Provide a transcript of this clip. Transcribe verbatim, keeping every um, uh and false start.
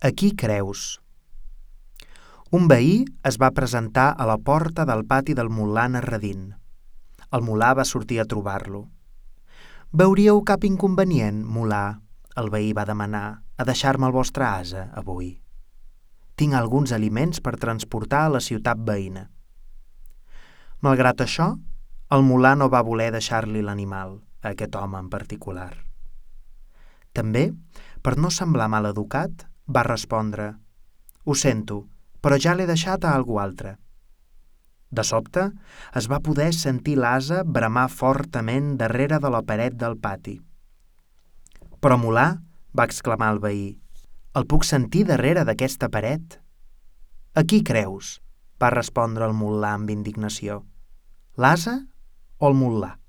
A qui creus? Un veí es va presentar a la porta del pati del mulà Narradin. El mulà va sortir a trobar-lo. «Veuríeu cap inconvenient, mulà?» el veí va demanar, «a deixar-me el vostre ase avui? Tinc alguns aliments per transportar a la ciutat veïna». Malgrat això, el mulà no va voler deixar-li l'animal, a aquest home en particular. També, per no semblar mal educat, va respondre: «Ho sento, però ja l'he deixat a algú altre». De sobte, es va poder sentir l'ase bramar fortament darrere de la paret del pati. «Però, mulà», va exclamar el veí, «el puc sentir darrere d'aquesta paret». «A qui creus?», va respondre el mulà amb indignació. «L'ase o el mulà?»